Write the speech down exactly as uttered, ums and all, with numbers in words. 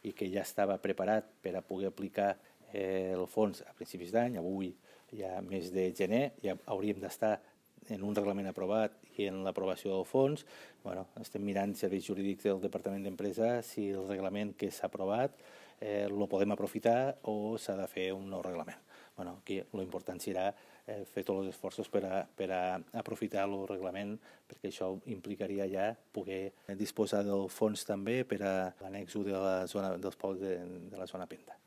i que ja estava preparat per a poder aplicar eh, el fons a principis d'any. Avui, ja mes de gener, ja hauríem d'estar en un reglament aprovat i en l'aprovació del fons. Bueno, estem mirant serveis jurídics del Departament d'Empresa si el reglament que s'ha aprovat eh, el podem aprofitar o s'ha de fer un nou reglament. Bueno, aquí l'important serà eh, fer tots els esforços per a, per a aprofitar el reglament, perquè això implicaria ja poder disposar del fons també per a l'annex u de la zona, dels pobles de, de la zona Penta.